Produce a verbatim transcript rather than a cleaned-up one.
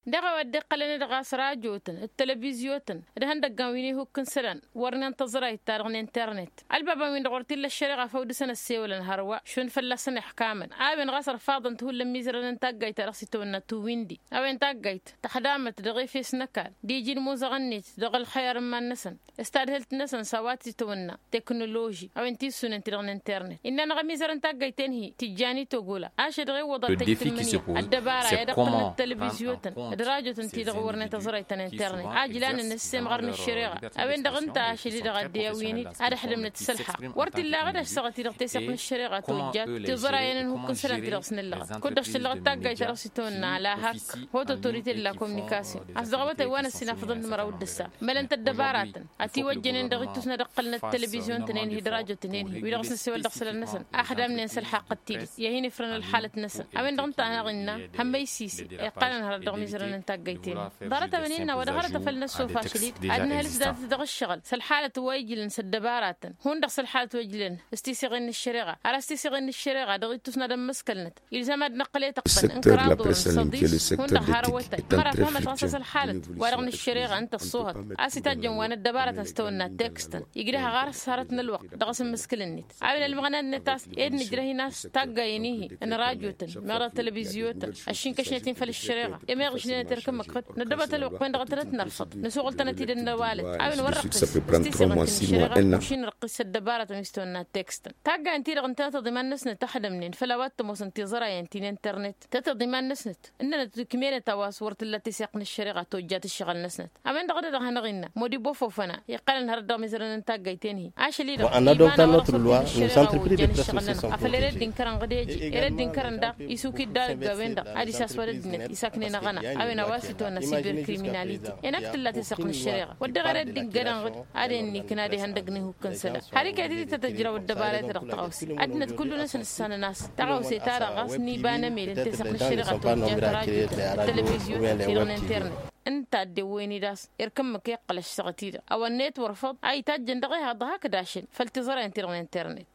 Dăɣ-a-wa dd-iqqălăn-dd ɣas rajotăn d-televizyotăn d-ihăndăggan wi n-ihukk n-isălan wărnen tăẓrayt-ta-dăɣ n-internet. Ălbabăn-win-dăɣ wăr t-illa ăššăreɣa făw dăɣ-săn ăssewălăn hărwa šund fălla-săn iḥkamăn a-wen ɣas ărfaḍăn-t hullan imizărăn n-taggayt-ta-dăɣ s-itawănna tuwindi. A-wen taggayt tăxdamăt dăɣ-efes n-ăkall d-iji n-imuzăɣăn-net dăɣ-ălxăyar n-iman-năsăn s-tadhǝlt-năsăn s-a-wa t-itwănna teknoloži a-wen tissunen-ti-dăɣ n-internet. Innă-năɣ ămizăr n-taggăyt-en-hi tǝjjan i-togolă ašăl dăɣ-e iwwăḍ ad-tăjj tǝmmǝnǝya ăddăbara i-ad-iqqǝlnăt telăvizyotăn d-rajotăn-ti-dăɣ wărnen tăẓrăyt ta n-internet a ǝjlanăn s-semɣăr n-ăššăreɣa. A-wen-dăɣ ǝnta ašăl-i-dăɣ ad-dd-iwǝyăn-dd ad-ăxdǝmnăt s-ǝlḥaq. Wăr t-illa aɣǝd a-s săɣăt-i-dăɣ teseɣt n-ăššăreɣa tojjat tiẓra i-ănhuk n-isălan-ti-dăɣ s-nǝllăɣăt kud-dăɣ šăllăɣăt taggayt-ta-dăɣ s-itwănna la hak. Hoto autorite de la communication a-s dăɣ-awătay wa n-ăssinafăḍăn n-imăraw d-ǝssa mălăn-t ăddăbaratăn ătiwăjjănen dăɣ-ittus n-ad-ǝqqǝlnăt telăvizyun-tăn-en-hi d-rajotăn-en-hi wi-dăɣ s-năssewăl dăɣ-isălan-năsăn. Axdamnen s-ălxaqq d-tidǝt i-ad-hin-ifrăn ălxalăt-năsăn. A-wen-dăɣ ǝnta a hanăɣ-innă hămmăy sisi iqqălăn hărăt dăɣ-imizărăn n-taggăyt-en-hi. Ḍarăt-a-wen innă wa dăɣ-arăt a făl năssofa ašăl-i-dd ad-nǝhălǝs dat-dăɣ ǝššăɣǝl s-ălxalăt wa ijlăn s-ăddăbaratăn hundăɣ s-ălxalăt wa ijlăn s-tiseɣen n-ăššăreɣa ar a-s tiseɣen n-ăššăreɣa dăɣ-ittus n-ad-ămmǝskălnăt. Ilzam ad-năqqǝl i-tăqqăn n-kăraḍ orăn săḍis hundăɣ har ăwătay măra tamăt ɣas a-s ălxalăt wa-dăɣ n-ăššăreɣa ǝnta ăṣṣuhăt a-s itajjăn wa n-ăddăbarătăn s-tawănna tekstăn. Igdăh ɣar s-hărăt n-ălwăqq dăɣ-asǝmmǝskǝl-net a-wen ălmăɣna-net a-s ed nǝjrăh-in a-s taggayen-ihi n-rajotăn meɣ dăɣ-telăvizyotăn ăššinkašnet-in făll-ăššăreɣa. I-meɣ ǝžnenăt erk ǝmmǝk făt năddăbăt ălwăqq-wen-dăɣ a tănăt-nărfăḍ năsuɣǝl-tănăt-id ănnăwalăt a-wen wăr-răqqǝs s-tisăɣăt n-ăššăreɣa. Ăššin răqqǝs ăddăbarătăn wi s-tawănna tekstăn taggayen-ti-dăɣ ǝntănăt iḍiman-năsnăt ăxdămnen făll-a-wa t-ămoosăn tiẓrayen ti n-internet tăt-iḍiman-năsnăt ǝnnănăt ǝkmenăt a-wa s-wăr t-illa teseɣt n-ăššăreɣa tojjat ǝššăɣǝl-năsnăt. A-wen-dăɣ a dăɣ-hanăɣ-innă modibo fofăna iqqălăn hărăt dăɣ-mizărăn n-taggăyt-en-hi ašăl-i-dăɣ iman a-wa dăɣ-tănăt ălwa n-ăššăreɣa ojjan ǝššăɣǝl-nănăɣ afăl ere dd-inkărăn ɣǝd eje ere dd-inkărăn daɣ isuk-dd a ăgg a-wen-dăɣ ad-isaswad ăddinăt isaknen aɣăna. A-wen a-wa s-itwănna siberkriminalite. Enăk tǝlla teseɣt n-ăššăreɣa wăr dăɣ-ere dd-inkărăn ɣǝd ad-ennǝkǝn ad-ihăndăgg n-ihukk n-isălan har iket-dd tăt-ăjraw ăddăbara-i-ta-dăɣ tăɣawse ăddinăt kullu-năsăn ǝssanăn a-s tăɣawse-ta-dăɣ ɣas n-iba n-emel n-teseɣt n-ăššăreɣa tojjat rajotăn d-telăvizyotăn-ti-dăɣ n-internet. Ǝnta a dd-ewwăyăn-dd a-s erk ǝmmǝk iqqăl ăššăɣăt-i-dăɣ a-wa n-netwăr făḍ a itajjăn dăɣ-ehăḍ hakd ašăl făll-tiẓrayen-ti-dăɣ n-internet.